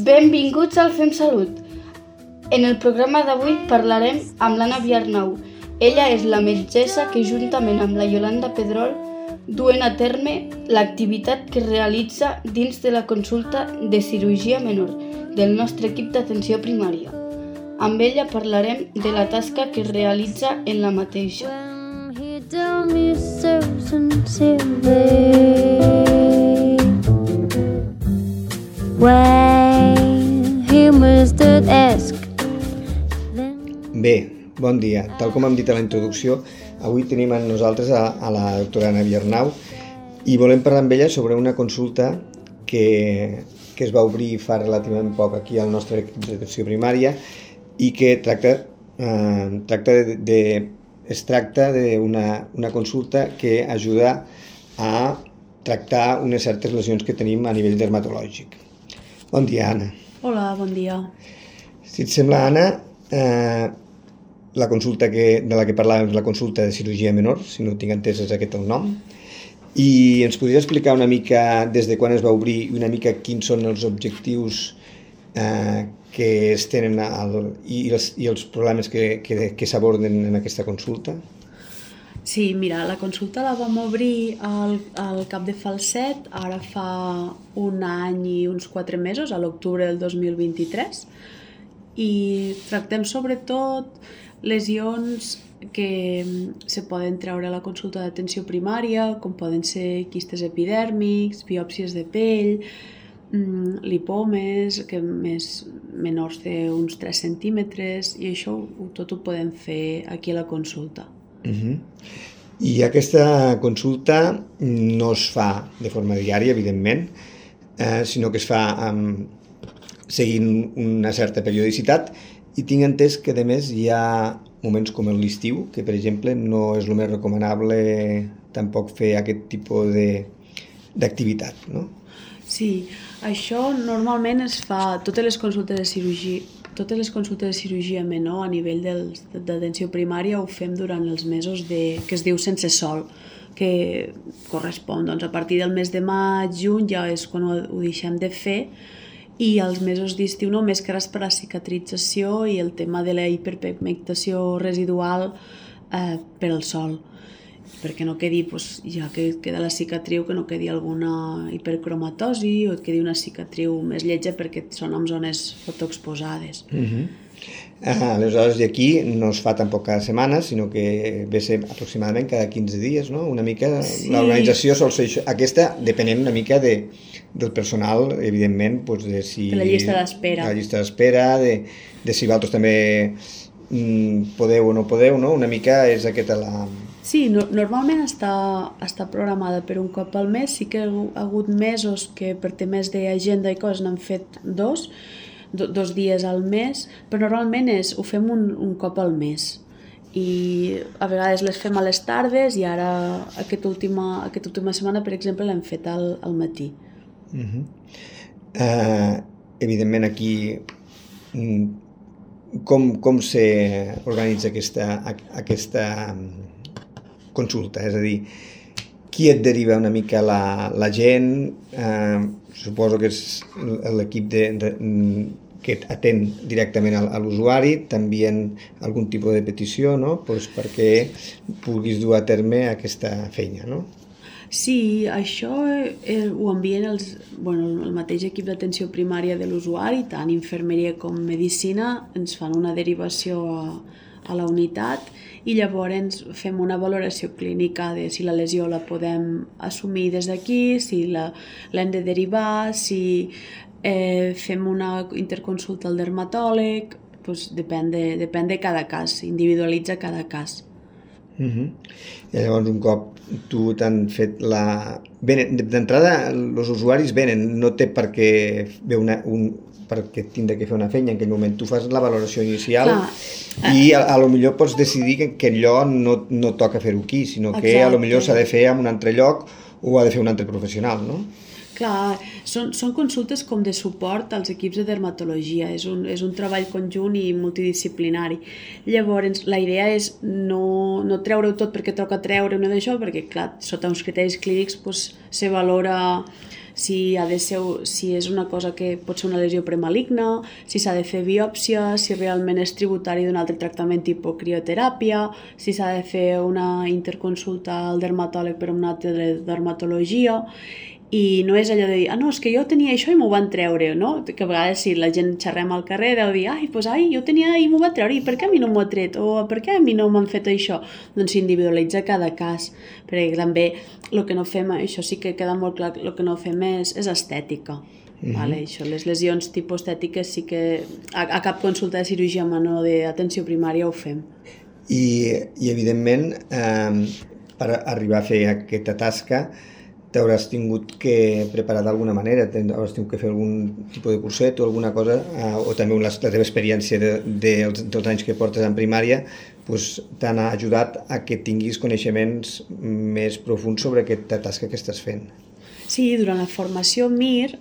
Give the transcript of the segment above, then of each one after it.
Benvinguts al Fem Salut. En el programa d'avui parlarem amb l'Anna Viarnau. Ella és la metgessa que, juntament amb la Iolanda Pedrol, duen a terme l'activitat que realitza dins de la consulta de cirurgia menor del nostre equip d'atenció primària. Amb ella parlarem de la tasca que realitza en la mateixa. Bé, bon dia. Tal com hem dit a la introducció, avui tenim amb nosaltres a la doctora Anna Viarnau i volem parlar amb ella sobre una consulta que es va obrir fa relativament poc aquí al nostre equip d'atenció primària i que es tracta d'una consulta que ajuda a tractar unes certes lesions que tenim a nivell dermatològic. Bon dia, Anna. Hola, bon dia. Si et sembla, Anna, la consulta de la que parlàvem és la consulta de cirurgia menor, si no ho tinc entès és aquest el nom, i ens podries explicar una mica des de quan es va obrir i una mica quins són els objectius que es tenen i els problemes que s'aborden en aquesta consulta? Sí, mira, la consulta la vam obrir al cap de Falset, ara fa un any i uns 4 mesos, a l'octubre del 2023, i tractem sobretot lesions que se poden treure a la consulta d'atenció primària, com poden ser quistes epidèrmics, biòpsies de pell, lipomes, que menors d'uns 3 centímetres, i això tot ho podem fer aquí a la consulta. I aquesta consulta no es fa de forma diària, evidentment, sinó que es fa seguint una certa periodicitat, i tinc entès que, a més, hi ha moments com l'estiu, que, per exemple, no és el més recomanable tampoc fer aquest tipus d'activitat, no? Sí, això normalment es fa, totes les consultes de cirurgia menor a nivell d'atenció primària ho fem durant els mesos que es diu sense sol, que correspon a partir del mes de maig, juny, ja és quan ho deixem de fer, i els mesos d'estiu només que és per la cicatrització i el tema de la hiperpigmentació residual per al sol, perquè no quedi, ja que queda la cicatriu, que no quedi alguna hipercromatosi o et quedi una cicatriu més lletja perquè són en zones fotoexposades. Aleshores, i aquí no es fa tampoc cada setmana, sinó que ve ser aproximadament cada 15 dies, no? Una mica, sí. L'organització sol ser això. Aquesta depenent una mica del personal, evidentment, de si... De la llista d'espera. La llista d'espera, de si vosaltres també podeu o no podeu, no? Una mica és aquesta la... Sí, normalment està programada per un cop al mes, sí que ha hagut mesos que per temes d'agenda i coses n'han fet dos dies al mes, però normalment ho fem un cop al mes i a vegades les fem a les tardes i ara aquesta última setmana, per exemple, l'hem fet al matí. Evidentment aquí com s'organitza aquesta consulta, és a dir, qui et deriva una mica la gent, suposo que és l'equip que atén directament a l'usuari, també algun tipus de petició, no? Perquè puguis dur a terme aquesta feina, no? Sí, això ho envien el mateix equip d'atenció primària de l'usuari, tant infermeria com medicina, ens fan una derivació a la unitat i llavors fem una valoració clínica de si la lesió la podem assumir des d'aquí, si l'hem de derivar, si fem una interconsulta al dermatòleg, depèn de cada cas, individualitza cada cas. I llavors un cop tu t'han fet d'entrada els usuaris venen, no té per què perquè tindre que fer una feina en aquell moment, tu fas la valoració inicial. I a lo millor pots decidir que allò no toca fer-ho aquí, sinó que a lo millor s'ha de fer en un altre lloc o ha de fer un altre professional, no? Clar, són consultes com de suport als equips de dermatologia, és un treball conjunt i multidisciplinari. Llavors, la idea és no treure-ho tot perquè toca treure una d'això, perquè clar, sota uns criteris clínics se valora si és una cosa que pot ser una lesió premaligna, si s'ha de fer biòpsia, si realment és tributari d'un altre tractament tipus crioteràpia, si s'ha de fer una interconsulta al dermatòleg per una altra dermatologia, i no és allò de dir, no, és que jo tenia això i m'ho van treure, no? Que a vegades si la gent xerrem al carrer deu dir, jo tenia i m'ho va treure, i per què a mi no m'ho ha tret? O per què a mi no m'han fet això? Doncs s'individualitza cada cas, perquè també el que no fem, això sí que queda molt clar, el que no fem és estètica. Vale? Això, les lesions tipus estètiques sí que a cap consulta de cirurgia a mano d'atenció primària ho fem. I evidentment, per arribar a fer aquesta tasca, t'hauràs tingut que preparar d'alguna manera, hauràs tingut que fer algun tipus de curset o alguna cosa, o també la teva experiència dels anys que portes en primària t'han ajudat a que tinguis coneixements més profuns sobre aquesta tasca que estàs fent. Sí, durant la formació MIR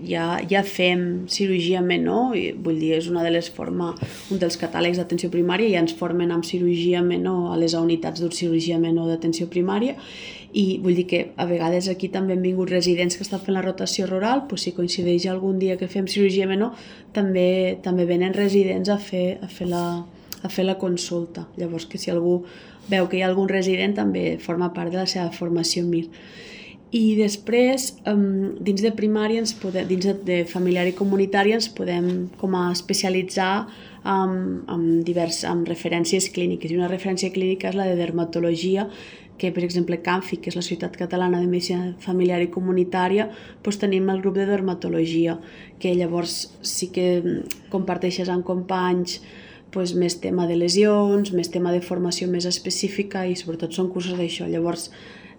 ja fem cirurgia menor, vull dir, és un dels catàlegs d'atenció primària, ja ens formen amb cirurgia menor a les unitats d'urgència menor d'atenció primària, i vull dir que a vegades aquí també han vingut residents que estan fent la rotació rural, si coincideix algun dia que fem cirurgia menor, també venen residents a fer la consulta. Llavors, que si algú veu que hi ha algun resident, també forma part de la seva formació MIR. I després, dins de primària, dins de familiar i comunitària, ens podem com a especialitzar amb referències clíniques. I una referència clínica és la de dermatologia, que per exemple CAMFI, que és la Societat Catalana de Medicina Familiar i Comunitària, tenim el grup de dermatologia, que llavors sí que comparteixes amb companys més tema de lesions, més tema de formació més específica i sobretot són cursos d'això. Llavors,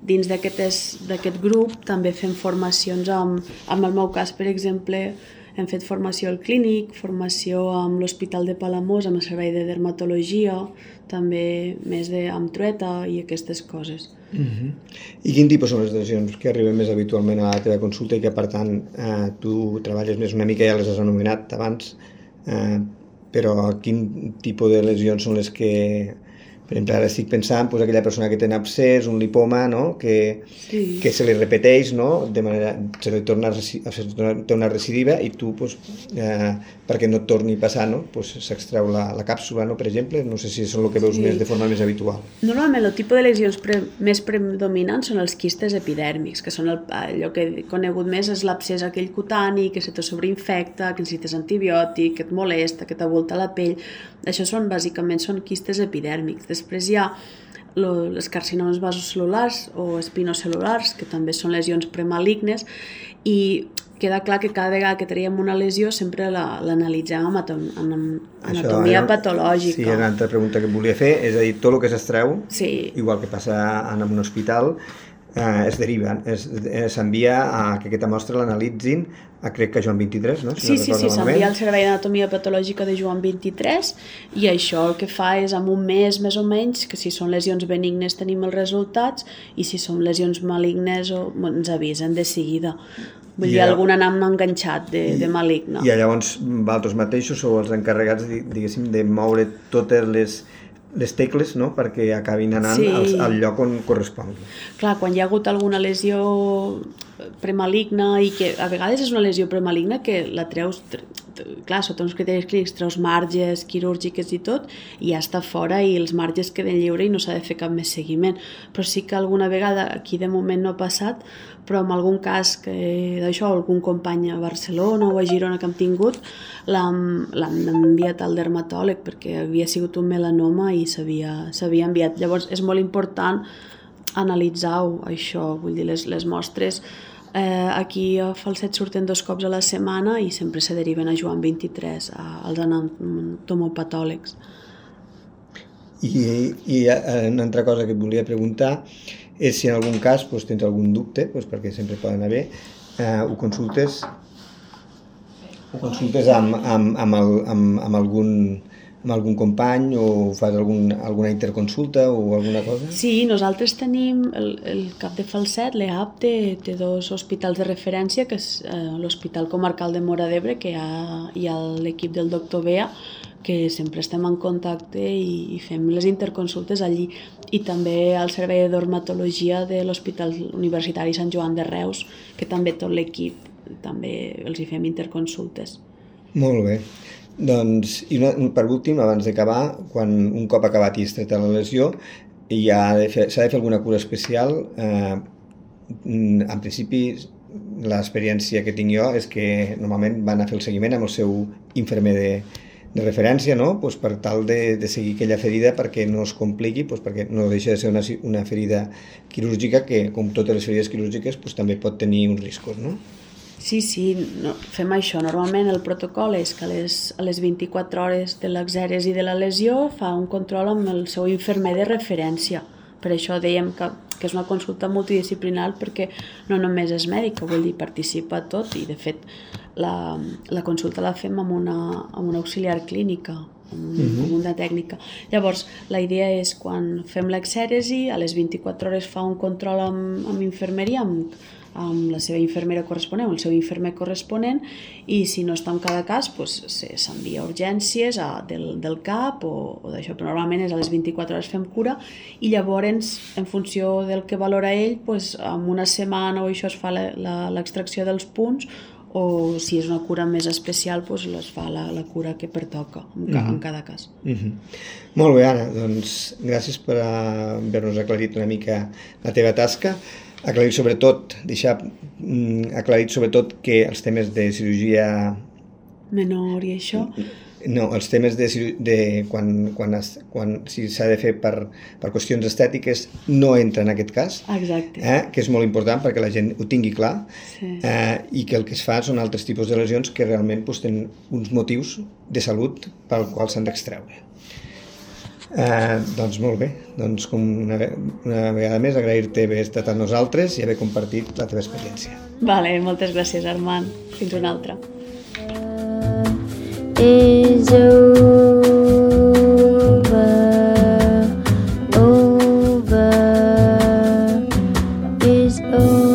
dins d'aquest grup també fem formacions en el meu cas, per exemple, hem fet formació al clínic, formació amb l'Hospital de Palamós, amb el servei de dermatologia, també més amb trueta i aquestes coses. I quin tipus són les lesions que arriben més habitualment a la teva consulta i que, per tant, tu treballes més una mica, ja les has anomenat abans, però quin tipus de lesions són les que... Per exemple, ara estic pensant aquella persona que té un abscés, un lipoma, no? que se li repeteix, no? De manera, se li té una recidiva i tu, perquè no et torni a passar, no? S'extreu la càpsula, no? Per exemple. No sé si és el que veus més de forma més habitual. Normalment el tipus de lesions més predominants són els quistes epidèrmics, que són allò que he conegut més és l'abscés aquell cutani, que se te sobreinfecta, que necessites antibiòtic, que et molesta, que t'avolta la pell. Això bàsicament són quistes epidèrmics. Després hi ha les carcinomes vasocel·lulars o espinocel·lulars, que també són lesions premalignes, i queda clar que cada vegada que traiem una lesió sempre l'analitzem amb anatomia patològica. Sí, una altra pregunta que et volia fer, és a dir, tot el que s'extreu, igual que passa en un hospital, es deriva, s'envia a que aquesta mostra l'analitzin crec que a Joan 23, no? Sí, s'envia al Servei d'Anatomia Patològica de Joan 23 i això el que fa és en un mes més o menys, que si són lesions benignes tenim els resultats i si són lesions malignes ens avisen de seguida. Vull dir, algun anam enganxat de maligne. I llavors vosaltres mateixos sou els encarregats, diguéssim, de moure totes les tecles, no?, perquè acabin anant al lloc on correspongui. Clar, quan hi ha hagut alguna lesió premaligna i que a vegades és una lesió premaligna que la treus, clar, sota uns criteris clínics treus marges quirúrgiques i tot i ja està fora i els marges queden lliures i no s'ha de fer cap més seguiment. Però sí que alguna vegada, aquí de moment no ha passat, però en algun cas d'això, algun company a Barcelona o a Girona que hem tingut, l'han enviat al dermatòleg perquè havia sigut un melanoma i s'havia enviat. Llavors és molt important analitzar-ho, això, vull dir, les mostres. Aquí a Falset surten 2 cops a la setmana i sempre se deriven a Joan 23, als anatomopatòlegs. I una altra cosa que et volia preguntar és si en algun cas tens algun dubte, perquè sempre poden haver, ho consultes amb algun company o fas alguna interconsulta o alguna cosa? Sí, nosaltres tenim el cap de Falset, l'EAP, té 2 hospitals de referència, que és l'Hospital Comarcal de Móra d'Ebre, que hi ha l'equip del doctor Bea, que sempre estem en contacte i fem les interconsultes allí. I també al servei de dermatologia de l'Hospital Universitari Sant Joan de Reus, que també tot l'equip també els hi fem interconsultes. Molt bé. Doncs, i per últim, abans d'acabar, quan un cop acabat i es tracta la lesió, s'ha de fer alguna cura especial. En principi, l'experiència que tinc jo és que normalment van a fer el seguiment amb el seu infermer de referència, no? Pues per tal de seguir aquella ferida perquè no es compliqui, pues perquè no deixa de ser una ferida quirúrgica que, com totes les ferides quirúrgiques, pues també pot tenir uns riscos, no? Sí, no, fem això. Normalment el protocol és que a les 24 hores de l'exèresi de la lesió fa un control amb el seu infermer de referència. Per això dèiem que és una consulta multidisciplinar perquè no només és mèdica, vull dir, participa tot i de fet la consulta la fem amb una auxiliar clínica, amb una tècnica. Llavors, la idea és quan fem l'exèresi, a les 24 hores fa un control amb infermeria, amb la seva infermera corresponent o el seu infermer corresponent, i si no està en cada cas s'envia a urgències del CAP o d'això, però normalment és a les 24 hores fem cura i llavors en funció del que valora ell en una setmana o això es fa l'extracció dels punts, o si és una cura més especial es fa la cura que pertoca en cada cas. Molt bé, Anna, doncs gràcies per haver-nos aclarit una mica la teva tasca. Deixar aclarit sobretot que els temes de cirurgia menor i això? No, els temes de quan si s'ha de fer per qüestions estètiques no entra en aquest cas. Exacte. Que és molt important perquè la gent ho tingui clar, sí. I que el que es fa són altres tipus de lesions que realment tenen uns motius de salut pel qual s'han d'extreure. Doncs molt bé, doncs com una vegada més agrair-te haver estat amb nosaltres i haver compartit la teva experiència. Vale, moltes gràcies, Armand. Fins una altra. Is over, is over.